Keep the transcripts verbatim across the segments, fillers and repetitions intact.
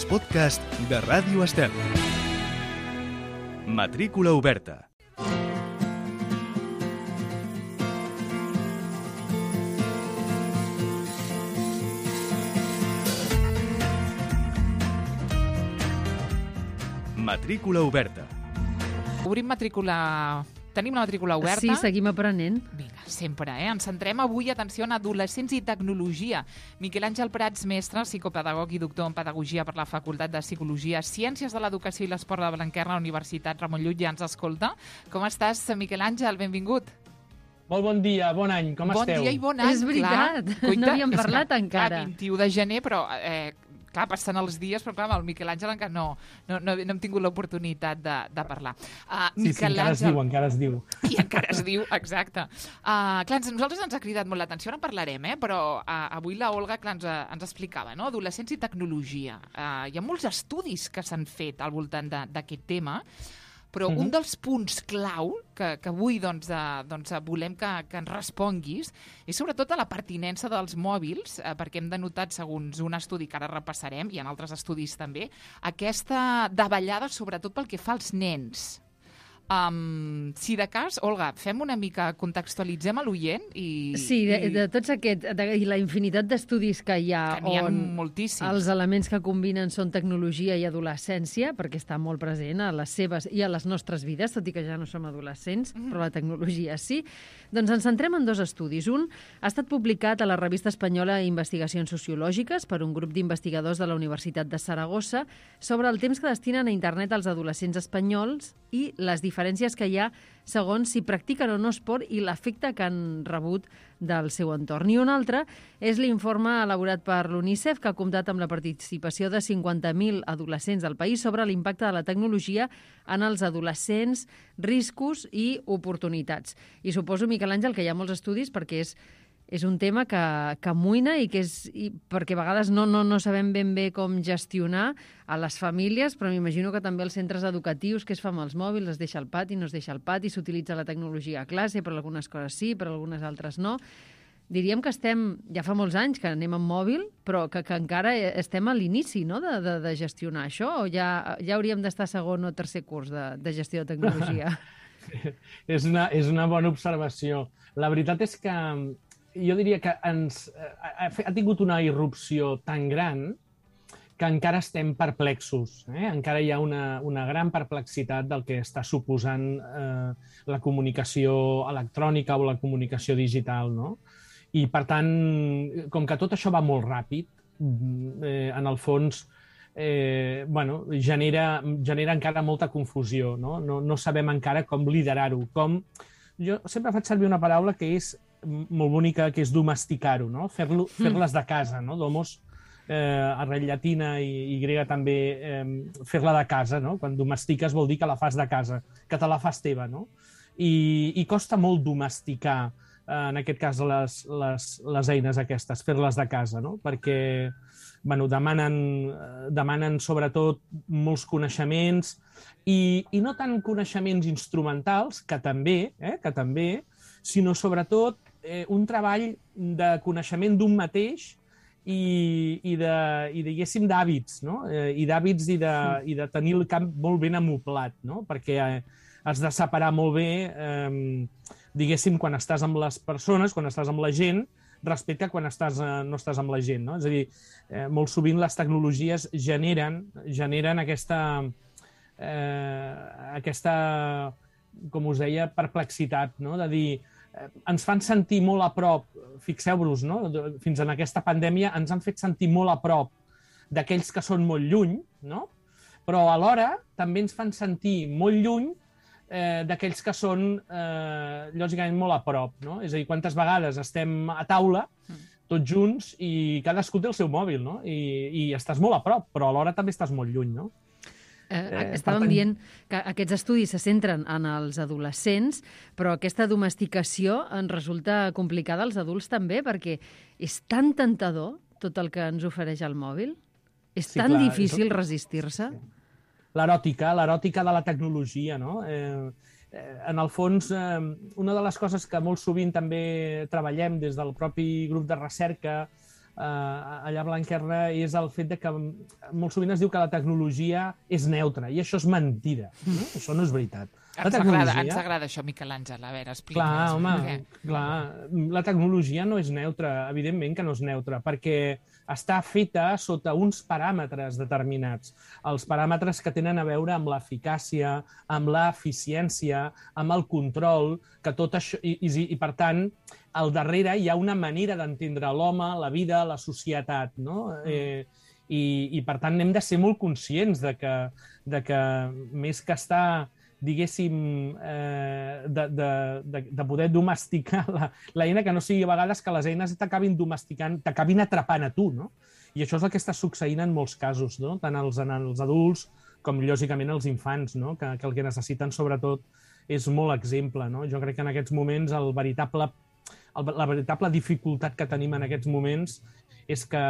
els podcasts de Ràdio Estel. Matrícula oberta. Matrícula oberta. Obrim matrícula... Tenim la matrícula oberta. Sí, seguim aprenent. Vinga, sempre, eh? Ens centrem avui, atenció, en adolescents i tecnologia. Miquel Àngel Prats, mestre, psicopedagog i doctor en pedagogia per la Facultat de Psicologia, Ciències de l'Educació i l'Esport de Blanquerna, Universitat Ramon Llull, ja ens escolta. Com estàs, Miquel Àngel? Benvingut. Molt bon dia, bon any, com bon esteu? Bon dia i bon any, És veritat, clar. no havíem parlat que, encara. Clar, vint-i-u de gener, però... Eh, clar, passen els dies, però clar, amb el Miquel Àngel encara no, no, no, no hem tingut l'oportunitat de, de parlar. Uh, sí, sí, encara es diu, encara es diu. I encara es diu, exacte. Uh, clar, a nosaltres ens ha cridat molt l'atenció, ara en parlarem, eh? Però uh, avui la Olga clar, ens, ens explicava, no? Adolescents i tecnologia. Uh, hi ha molts estudis que s'han fet al voltant d'aquest tema, però uh-huh. un dels punts clau que, que avui doncs, uh, doncs, volem que, que ens responguis és sobretot a la pertinença dels mòbils, eh, perquè hem denotat, segons un estudi que ara repassarem, i en altres estudis també, aquesta davallada sobretot pel que fa als nens. Um, si de cas, Olga, fem una mica, contextualitzem a l'oient i... Sí, de, i... de tots aquests, de, i la infinitat d'estudis que hi ha, que n'hi ha on moltíssims. Els elements que combinen són tecnologia i adolescència, perquè està molt present a les seves i a les nostres vides, tot i que ja no som adolescents, mm. però la tecnologia sí. Doncs ens centrem en dos estudis. Un ha estat publicat a la revista espanyola Investigacions Sociològiques per un grup d'investigadors de la Universitat de Saragossa sobre el temps que destinen a internet els adolescents espanyols i les diferències que hi ha segons si practiquen o no esport i l'efecte que han rebut del seu entorn. I un altre és l'informe elaborat per l'UNICEF, que ha comptat amb la participació de cinquanta mil adolescents del país sobre l'impacte de la tecnologia en els adolescents, riscos i oportunitats. I suposo, Miquel Àngel, que hi ha molts estudis perquè és És un tema que, que amoïna i que és, i perquè a vegades no, no, no sabem ben bé com gestionar a les famílies, però m'imagino que també els centres educatius, què es fa amb els mòbils, es deixa al pati, no es deixa al pati, s'utilitza la tecnologia a classe, per algunes coses sí, per algunes altres no. Diríem que estem, ja fa molts anys que anem amb mòbil, però que, que encara estem a l'inici, no?, de, de, de gestionar això, o ja, ja hauríem d'estar a segon o tercer curs de, de gestió de tecnologia? és, una, és una bona observació. La veritat és que jo diria que ens, ha, ha tingut una irrupció tan gran que encara estem perplexos. Eh? Encara hi ha una, una gran perplexitat del que està suposant eh, la comunicació electrònica o la comunicació digital. No? I, per tant, com que tot això va molt ràpid, eh, en el fons eh, bueno, genera, genera encara molta confusió. No? No, no sabem encara com liderar-ho. Com... Jo sempre faig servir una paraula que és molt bonica, que és domesticar-ho, no? Fer-lo, fer-les de casa, no? Domos, eh, arrel llatina i, i grega també, eh, fer-la de casa, no? Quan domestiques vol dir que la fas de casa, que te la fas teva, no? I, i costa molt domesticar, eh, en aquest cas, les, les, les eines aquestes, fer-les de casa, no? Perquè, bueno, demanen, demanen sobretot molts coneixements i, i no tant coneixements instrumentals, que també, eh, que també, sinó sobretot eh, un treball de coneixement d'un mateix i, i, de, i diguéssim, d'hàbits, no? Eh, i d'hàbits i, de, i de tenir el camp molt ben amoblat, no? Perquè eh, has de separar molt bé, eh, diguéssim, quan estàs amb les persones, quan estàs amb la gent, respecte a quan estàs, eh, no estàs amb la gent, no? És a dir, eh, molt sovint les tecnologies generen, generen aquesta, eh, aquesta, com us deia, perplexitat, no? De dir, eh, ens fan sentir molt a prop, fixeu-vos, no? Fins en aquesta pandèmia ens han fet sentir molt a prop d'aquells que són molt lluny, no? Però alhora també ens fan sentir molt lluny eh, d'aquells que són, eh, lògicament, molt a prop, no? És a dir, quantes vegades estem a taula tots junts i cadascú té el seu mòbil, no? I, i estàs molt a prop, però alhora també estàs molt lluny, no? Eh, estàvem dient que aquests estudis se centren en els adolescents, però aquesta domesticació ens resulta complicada als adults també, perquè és tan tentador tot el que ens ofereix el mòbil. És sí, tan clar, difícil és... resistir-se. L'eròtica, l'eròtica de la tecnologia, no? Eh, eh, en el fons, eh, una de les coses que molt sovint també treballem des del propi grup de recerca allà a Blanquerna és el fet de que molt sovint es diu que la tecnologia és neutra, i això és mentida. No? Això no és veritat. La Ens tecnologia... agrada, ens agrada això, Miquel Àngel. A veure, explica'ns. Clar, home, clar. La tecnologia no és neutra, evidentment que no és neutra, perquè està feta sota uns paràmetres determinats. Els paràmetres que tenen a veure amb l'eficàcia, amb l'eficiència, amb el control, que tot això... I, i, i per tant, al darrere hi ha una manera d'entendre l'home, la vida, la societat, no? Eh, i, I, per tant, hem de ser molt conscients de que, de que més que estar... diguéssim, eh, de, de, de, de poder domesticar la, l'eina, que no sigui a vegades que les eines t'acabin domesticant, t'acabin atrapant a tu, no? I això és el que està succeint en molts casos, no? Tant els, en els adults com, lògicament, els infants, no? Que, que el que necessiten, sobretot, és molt exemple, no? Jo crec que en aquests moments el veritable, el, la veritable dificultat que tenim en aquests moments és que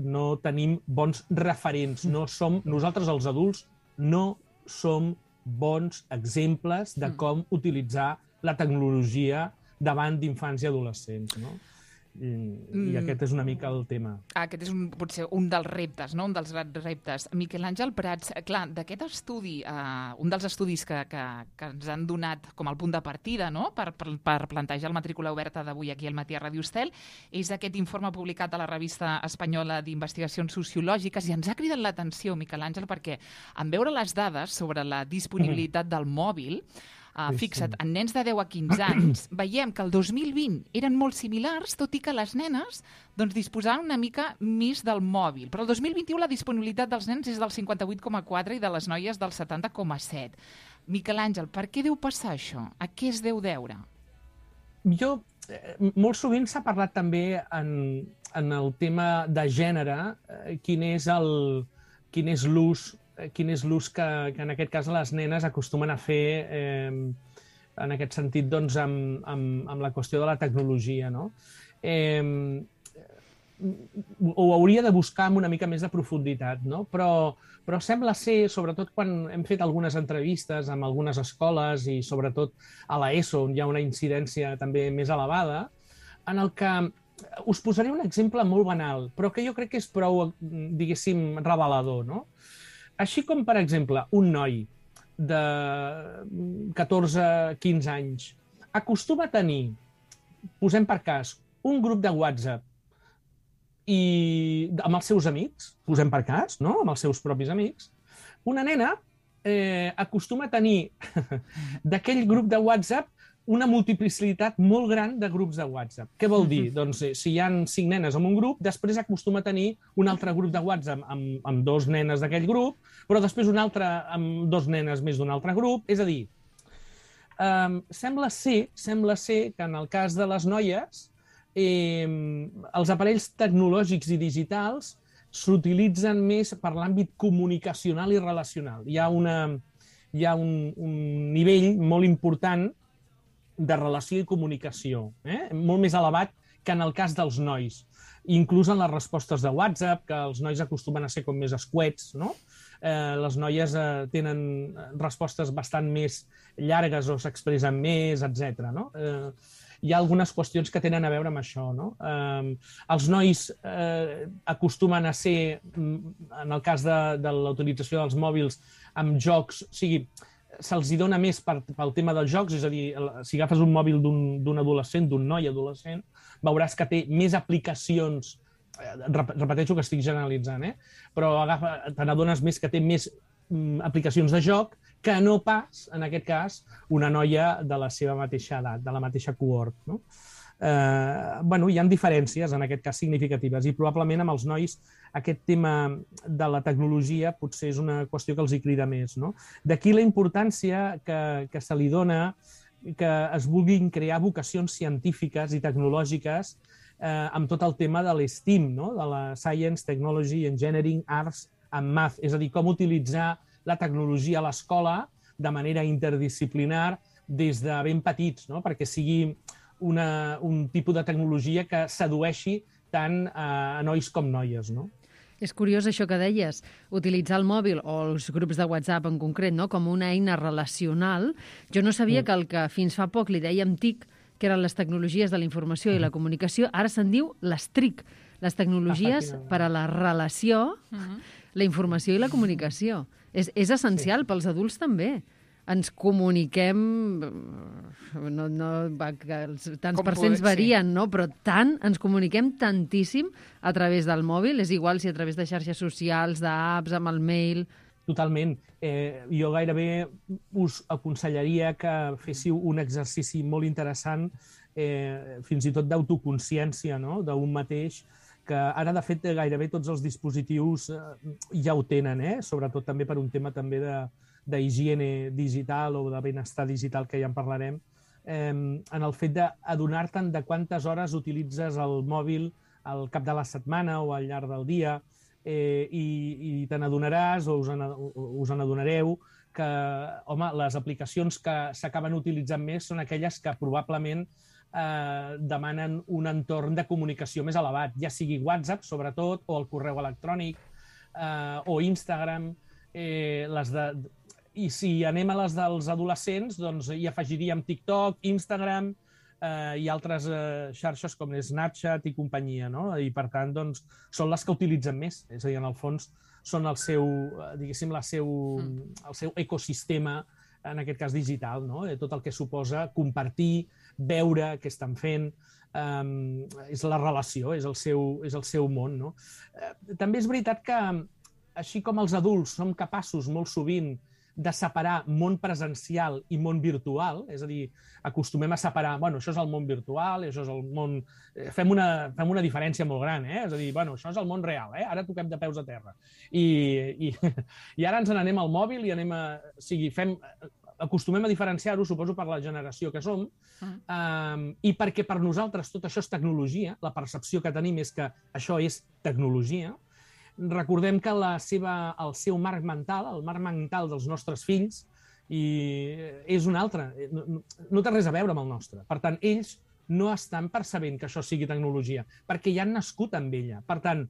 no tenim bons referents. No som, nosaltres, els adults, no som bons exemples de com utilitzar la tecnologia davant d'infants i adolescents, no? I, i aquest és una mica el tema. Aquest és un, potser un dels reptes, no? Un dels grans reptes. Miquel Àngel Prats, clar, d'aquest estudi, eh, un dels estudis que, que, que ens han donat com el punt de partida, no? per, per, per plantejar el matrícula oberta d'avui aquí al Matí a Ràdio Estel, és aquest informe publicat a la revista espanyola d'Investigacions Sociològiques, i ens ha cridat l'atenció, Miquel Àngel, perquè en veure les dades sobre la disponibilitat mm. del mòbil, Uh, fixa't, en nens de deu a quinze anys, veiem que el dos mil vint eren molt similars, tot i que les nenes doncs, disposaven una mica més del mòbil. Però el dos mil vint-i-u la disponibilitat dels nens és del cinquanta-vuit coma quatre i de les noies del setanta coma set. Miquel Àngel, per què deu passar això? A què es deu deure? Jo, eh, molt sovint s'ha parlat també en, en el tema de gènere, eh, quin és el, quin és l'ús quin és l'ús que, que en aquest cas les nenes acostumen a fer eh, en aquest sentit doncs, amb, amb, amb la qüestió de la tecnologia, no? Eh, ho hauria de buscar amb una mica més de profunditat, no? Però, però sembla ser, sobretot quan hem fet algunes entrevistes amb algunes escoles i sobretot a l'ESO, on hi ha una incidència també més elevada, en el que us posaré un exemple molt banal, però que jo crec que és prou, diguéssim, revelador, no? Així com, per exemple, un noi de catorze a quinze anys acostuma a tenir, posem per cas, un grup de WhatsApp i amb els seus amics, posem per cas, no? Amb els seus propis amics, una nena eh, acostuma a tenir d'aquell grup de WhatsApp una multiplicitat molt gran de grups de WhatsApp. Què vol dir? Doncs eh, si hi ha cinc nenes en un grup, després acostuma a tenir un altre grup de WhatsApp amb, amb dos nenes d'aquell grup, però després un altre amb dos nenes més d'un altre grup. És a dir, eh, sembla ser, sembla ser que en el cas de les noies, eh, els aparells tecnològics i digitals s'utilitzen més per l'àmbit comunicacional i relacional. Hi ha, una, hi ha un, un nivell molt important de relació i comunicació, eh? molt més elevat que en el cas dels nois. Inclús en les respostes de WhatsApp, que els nois acostumen a ser com més escuets, no? Eh, les noies eh, tenen respostes bastant més llargues o s'expressen més, etcètera. No? Eh, hi ha algunes qüestions que tenen a veure amb això. No? Eh, els nois eh, acostumen a ser, en el cas de, de la utilització dels mòbils, amb jocs, o sigui, se'ls hi dona més per, pel tema dels jocs, és a dir, si agafes un mòbil d'un adolescent, d'un noi adolescent, veuràs que té més aplicacions, repeteixo que estic generalitzant, eh? Però agafa, te n'adones més que té més mm, aplicacions de joc que no pas, en aquest cas, una noia de la seva mateixa edat, de la mateixa cohort, no? Eh, bueno, hi ha diferències, en aquest cas, significatives, i probablement amb els nois aquest tema de la tecnologia potser és una qüestió que els hi crida més, no? D'aquí la importància que, que se li dona que es vulguin crear vocacions científiques i tecnològiques eh, amb tot el tema de l'STEAM, no? De la Science, Technology, Engineering, Arts and Math, és a dir, com utilitzar la tecnologia a l'escola de manera interdisciplinar des de ben petits, no? Perquè sigui una, un tipus de tecnologia que sedueixi tant a, a nois com noies, no? És curiós això que deies, utilitzar el mòbil o els grups de WhatsApp en concret, no? Com una eina relacional. Jo no sabia mm. que el que fins fa poc li dèiem TIC, que eren les tecnologies de la informació i la comunicació, ara se'n diu les TRIC, Les tecnologies per a la relació, Mhm. la informació i la comunicació. És, és essencial sí. pels adults també. Ens comuniquem... No, no, va, que els, tants Com percents poder, varien, no? Però tant, ens comuniquem tantíssim a través del mòbil. És igual si a través de xarxes socials, d'apps, amb el mail... Totalment. Eh, jo gairebé us aconsellaria que féssiu un exercici molt interessant, eh, fins i tot d'autoconsciència, no?, d'un mateix, que ara, de fet, gairebé tots els dispositius eh, ja ho tenen, eh? Sobretot també per un tema també de d'higiene digital o de benestar digital, que ja en parlarem, eh, en el fet d'adonar-te'n de quantes hores utilitzes el mòbil al cap de la setmana o al llarg del dia, eh, i, i te n'adonaràs o us, en, us en adonareu que, home, les aplicacions que s'acaben utilitzant més són aquelles que probablement eh, demanen un entorn de comunicació més elevat, ja sigui WhatsApp, sobretot, o el correu electrònic, eh, o Instagram, eh, les de... I si anem a les dels adolescents, doncs hi afegiríem TikTok, Instagram eh, i altres eh, xarxes com Snapchat i companyia, no? I, per tant, doncs, són les que utilitzen més. És a dir, en el fons, són el seu, diguéssim, la seu, el seu ecosistema, en aquest cas digital, no? Tot el que suposa compartir, veure què estan fent, eh, és la relació, és el seu, és el seu món, no? Eh, també és veritat que, així com els adults som capaços molt sovint de separar món presencial i món virtual, és a dir, acostumem a separar, bueno, això és el món virtual, això és el món... Fem una, fem una diferència molt gran, eh? És a dir, bueno, això és el món real, eh? Ara toquem de peus a terra. I, i, i ara ens n'anem al mòbil i anem a... O sigui, fem... acostumem a diferenciar-ho, suposo, per la generació que som, uh, um, i perquè per nosaltres tot això és tecnologia, la percepció que tenim és que això és tecnologia. Recordem que la seva, el seu marc mental, el marc mental dels nostres fills, i és un altre, no, no té res a veure amb el nostre. Per tant, ells no estan percebent que això sigui tecnologia, perquè ja han nascut amb ella. Per tant,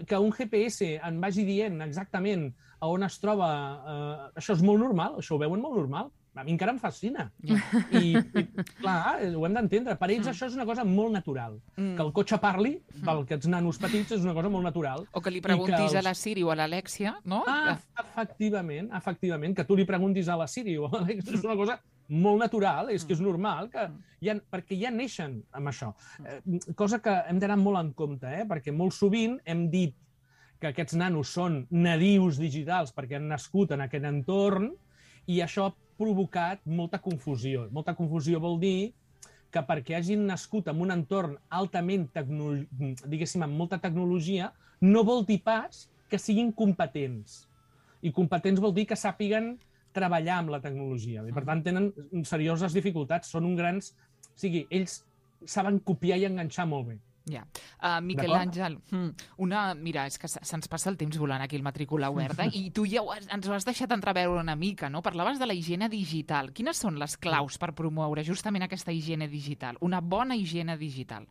que un G P S en vagi dient exactament a on es troba, eh, això és molt normal, això ho veuen molt normal. A mi encara em fascina. I, i clar, ho hem d'entendre. Per ells això és una cosa molt natural. Mm. Que el cotxe parli, per aquests nanos petits, és una cosa molt natural. O que li preguntis els... a la Siri o a l'Alexia, no? Ah, efectivament, efectivament. Que tu li preguntis a la Siri o a l'Alexia és una cosa molt natural, és que és normal, que ja, perquè ja neixen amb això. Eh, cosa que hem d'anar molt en compte, eh? Perquè molt sovint hem dit que aquests nanos són nadius digitals perquè han nascut en aquest entorn i això ha provocat molta confusió. Molta confusió vol dir que perquè hagin nascut en un entorn altament, tecno... diguéssim, amb molta tecnologia, no vol dir pas que siguin competents. I competents vol dir que sàpiguen treballar amb la tecnologia. I, per tant, tenen serioses dificultats. Són un grans... O sigui, ells saben copiar i enganxar molt bé. Ja. Uh, Miquel Àngel, una... mira, és que se'ns passa el temps volant aquí el Matrícula Oberta i tu ja ho has, ens ho has deixat entreveure una mica, no? Parlaves de la higiene digital. Quines són les claus per promoure justament aquesta higiene digital? Una bona higiene digital.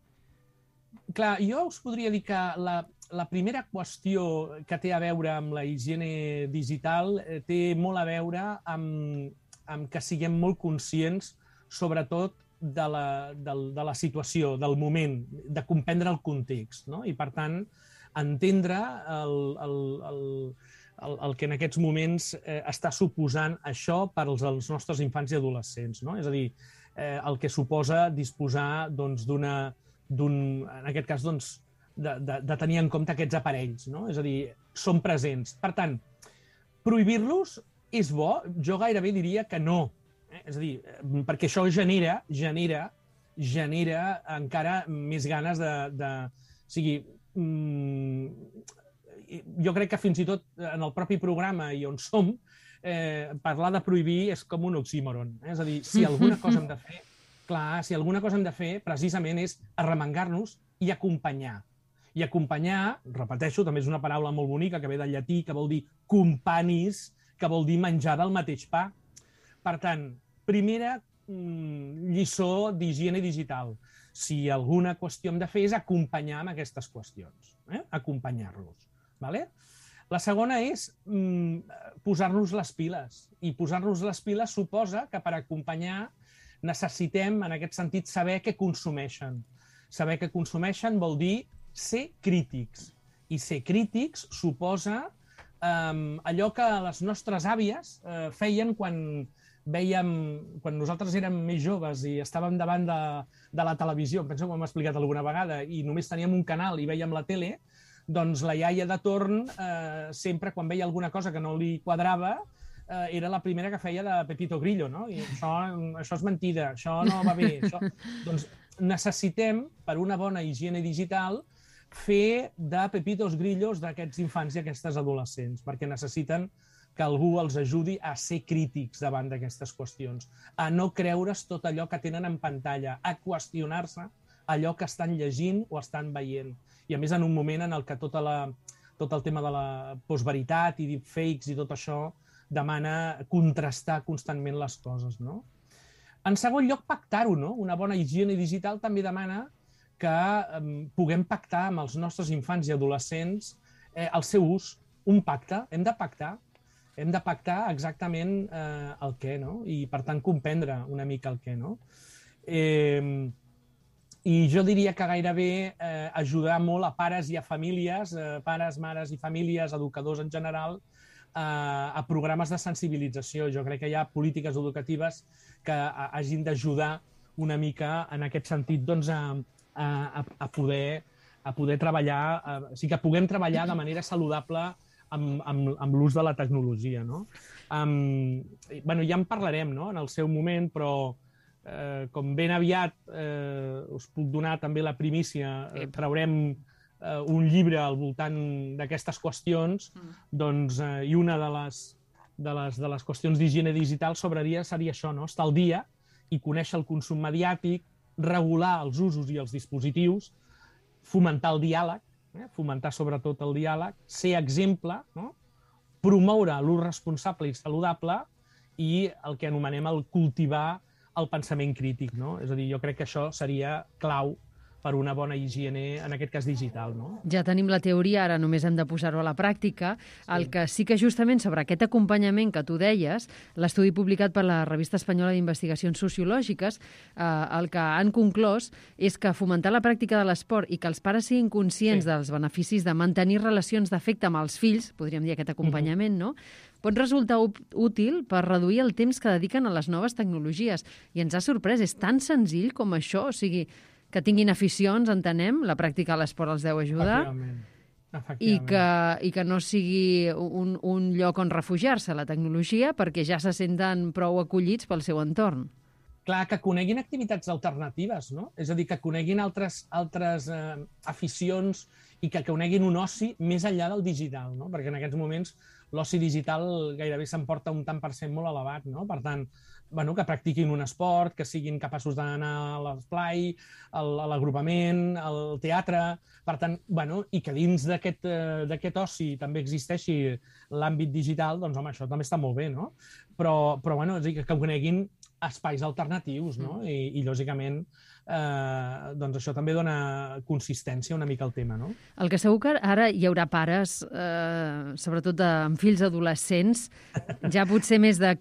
Clar, jo us podria dir que la, la primera qüestió que té a veure amb la higiene digital eh, té molt a veure amb, amb que siguem molt conscients, sobretot, de la, de, de la situació, del moment, de comprendre el context, no? I, per tant, entendre el, el, el, el, el que en aquests moments eh, està suposant això per als, als nostres infants i adolescents, no? És a dir, eh, el que suposa disposar doncs, d'una, d'un, en aquest cas, doncs, de, de, de tenir en compte aquests aparells, no? És a dir, són presents. Per tant, prohibir-los és bo? Jo gairebé diria que no. És a dir, perquè això genera, genera, genera encara més ganes de... de o sigui, jo crec que fins i tot en el propi programa i on som, eh, parlar de prohibir és com un oxímoron. Eh? És a dir, si alguna cosa hem de fer, clar, si alguna cosa hem de fer, precisament és arremangar-nos i acompanyar. I acompanyar, repeteixo, també és una paraula molt bonica que ve del llatí, que vol dir companis, que vol dir menjar del mateix pa. Per tant, primera mm, lliçó d'higiene digital. Si alguna qüestió hem de fer és acompanyar amb aquestes qüestions, eh? Acompanyar-los. Vale? La segona és mm, posar-nos les piles. I posar-nos les piles suposa que per acompanyar necessitem, en aquest sentit, saber què consumeixen. Saber què consumeixen vol dir ser crítics. I ser crítics suposa eh, allò que les nostres àvies eh, feien quan veiem, quan nosaltres érem més joves i estàvem davant de, de la televisió, penso que m'ho hem explicat alguna vegada, i només teníem un canal i veiem la tele, doncs la iaia de torn, eh, sempre quan veia alguna cosa que no li quadrava, eh, era la primera que feia de Pepito Grillo, no? I això, això és mentida, això no va bé. Això... Doncs necessitem, per una bona higiene digital, fer de Pepitos Grillos d'aquests infants i aquestes adolescents, perquè necessiten que algú els ajudi a ser crítics davant d'aquestes qüestions, a no creure's tot allò que tenen en pantalla, a qüestionar-se allò que estan llegint o estan veient. I a més en un moment en el que tota la, tot el tema de la postveritat i deepfakes i tot això demana contrastar constantment les coses, no? En segon lloc, pactar-ho, no? Una bona higiene digital també demana que eh, puguem pactar amb els nostres infants i adolescents eh, el seu ús, un pacte, hem de pactar, hem de pactar exactament eh, el què, no? I, per tant, comprendre una mica el què, no? Eh, I jo diria que gairebé eh, ajudar molt a pares i a famílies, eh, pares, mares i famílies, educadors en general, eh, a programes de sensibilització. Jo crec que hi ha polítiques educatives que a, hagin d'ajudar una mica en aquest sentit doncs, a, a, a, poder, a poder treballar, a, o sigui, que puguem treballar de manera saludable amb, amb, amb l'ús de la tecnologia, no? Um, bueno, ja en parlarem, no?, en el seu moment, però eh, com ben aviat eh, us puc donar també la primícia, eh, traurem eh, un llibre al voltant d'aquestes qüestions, mm. doncs, eh, i una de les, de les, de les qüestions d'higiene digital sobraria seria això, no?, estar al dia i conèixer el consum mediàtic, regular els usos i els dispositius, fomentar el diàleg, Eh, fomentar sobretot el diàleg, ser exemple, no? Promoure l'ús responsable i saludable i el que anomenem el cultivar el pensament crític, no? És a dir, jo crec que això seria clau per una bona higiene, en aquest cas digital, no? Ja tenim la teoria, ara només hem de posar-ho a la pràctica. Sí. El que sí que justament sobre aquest acompanyament que tu deies, l'estudi publicat per la Revista Espanyola d'Investigacions Sociològiques, eh, el que han conclòs és que fomentar la pràctica de l'esport i que els pares siguin conscients sí. dels beneficis de mantenir relacions d'afecte amb els fills, podríem dir aquest acompanyament, uh-huh. no?, pot resultar útil per reduir el temps que dediquen a les noves tecnologies. I ens ha sorprès, és tan senzill com això, o sigui, que tinguin aficions, entenem, la pràctica de l'esport els deu ajudar, Efectivament. Efectivament. I, que, i que no sigui un, un lloc on refugiar-se la tecnologia perquè ja se senten prou acollits pel seu entorn. Clar, que coneguin activitats alternatives, no? És a dir, que coneguin altres, altres eh, aficions i que coneguin un oci més enllà del digital, no? Perquè en aquests moments l'oci digital gairebé s'emporta un tant per cent molt elevat, no? Per tant, bueno, que practiquin un esport, que siguin capaços d'anar a l'esplai, a l'agrupament, al teatre. Per tant, bueno, i que dins d'aquest eh, d'aquest oci també existeixi l'àmbit digital, doncs, home, això també està molt bé, no? Però, però bueno, és a dir, que coneguin espais alternatius, no? Mm. I, i lògicament, eh, doncs això també dona consistència una mica al tema, no? El que segur que ara hi haurà pares, eh, sobretot de, amb fills adolescents, ja potser més de...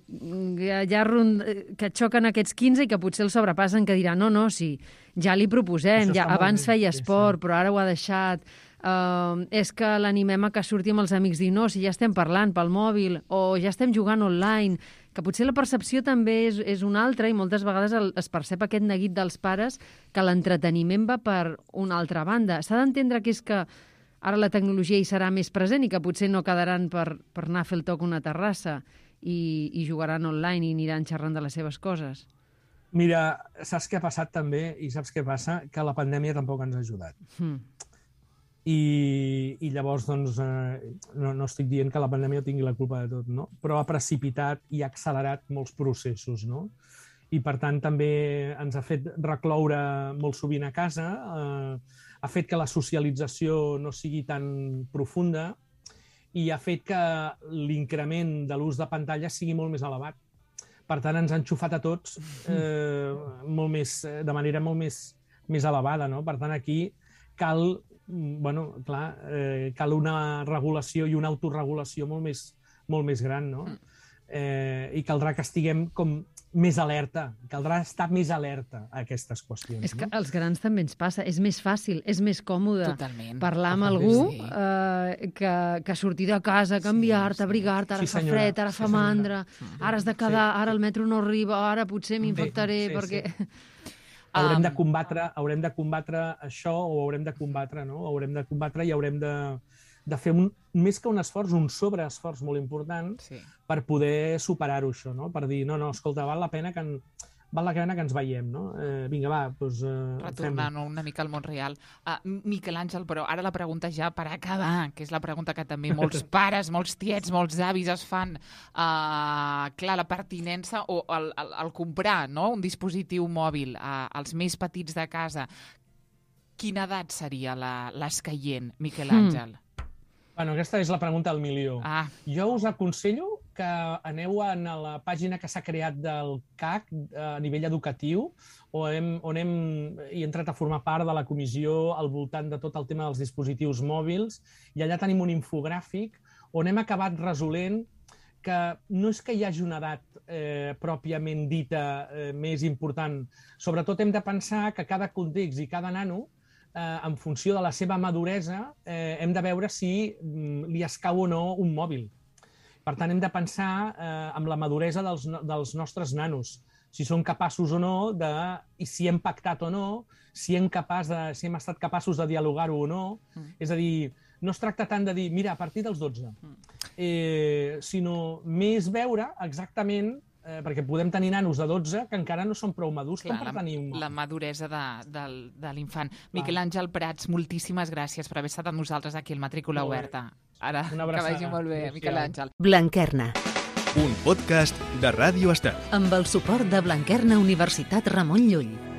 ja rond, que xoquen aquests quinze i que potser el sobrepassen, que diran, no, no, sí, ja li proposem, ja, abans feia esport, sí, sí. però ara ho ha deixat... Uh, és que l'animem a que surti amb els amics i no, si ja estem parlant pel mòbil o ja estem jugant online, que potser la percepció també és, és una altra i moltes vegades el, es percep aquest neguit dels pares que l'entreteniment va per una altra banda. S'ha d'entendre que és que ara la tecnologia hi serà més present i que potser no quedaran per, per anar a fer el toc a una terrassa i, i jugaran online i aniran xerrant de les seves coses. Mira, saps què ha passat també i saps què passa? Que la pandèmia tampoc ens ha ajudat. Mm. I, i llavors, doncs, eh, no, no estic dient que la pandèmia tingui la culpa de tot, no? Però ha precipitat i ha accelerat molts processos, no? I, per tant, també ens ha fet recloure molt sovint a casa, eh, ha fet que la socialització no sigui tan profunda i ha fet que l'increment de l'ús de pantalla sigui molt més elevat. Per tant, ens han xufat a tots eh, molt més, de manera molt més, més elevada, no? Per tant, aquí cal... bueno, clar, eh, cal una regulació i una autorregulació molt més, molt més gran, no? Eh, I caldrà que estiguem com més alerta, caldrà estar més alerta a aquestes qüestions. És que no? als grans també ens passa, és més fàcil, és més còmode Totalment. parlar amb Totalment, algú sí. eh, que, que sortir de casa, canviar-te, sí. abrigar-te, ara Sí, fa senyora. fred, ara Sí, fa senyora. mandra, ara has de quedar, ara el metro no arriba, ara potser m'infectaré sí, perquè... sí. Haurem de Um, combatre, haurem de combatre això, o haurem de combatre, no? Haurem de combatre i haurem de, de fer un, més que un esforç, un sobreesforç molt important Sí. per poder superar-ho, això, no? Per dir, no, no, escolta, val la pena que, en, val la pena que ens veiem, no? Eh, vinga, va, doncs... Eh, Retornant una mica al món real. Uh, Miquel Àngel, però ara la pregunta ja per acabar, que és la pregunta que també molts pares, molts tiets, molts avis es fan. Uh, clar, la pertinença o el, el, el comprar, no?, un dispositiu mòbil uh, als més petits de casa. Quina edat seria la- l'escaient, Miquel Àngel? Bueno, aquesta és la pregunta del milió. Ah, Jo us aconsello que aneu a la pàgina que s'ha creat del C A C a nivell educatiu, on hem, on hem he entrat a formar part de la comissió al voltant de tot el tema dels dispositius mòbils, i allà tenim un infogràfic on hem acabat resolent que no és que hi hagi una edat eh, pròpiament dita eh, més important. Sobretot hem de pensar que cada context i cada nano, eh, en funció de la seva maduresa, eh, hem de veure si mm, li escau o no un mòbil. Per tant, hem de pensar eh, amb la maduresa dels, no- dels nostres nanos, si són capaços o no, de, i si hem pactat o no, si hem, capaç de, si hem estat capaços de dialogar-ho o no. Mm. És a dir, no es tracta tant de dir, mira, a partir dels dotze, eh, sinó més veure exactament, eh, perquè podem tenir nanos de dotze que encara no són prou madurs clar, com per la, tenir un la mòbil. maduresa de, de, de l'infant. Miquel Àngel Prats, moltíssimes gràcies per haver estat amb nosaltres aquí al Matrícula Molt bé. Oberta. Ara, Una que abraçada. vagi molt bé, Adéu-siau. Miquel Àngel. Blanquerna, Un podcast de Ràdio Estel. amb el suport de Blanquerna Universitat Ramon Llull.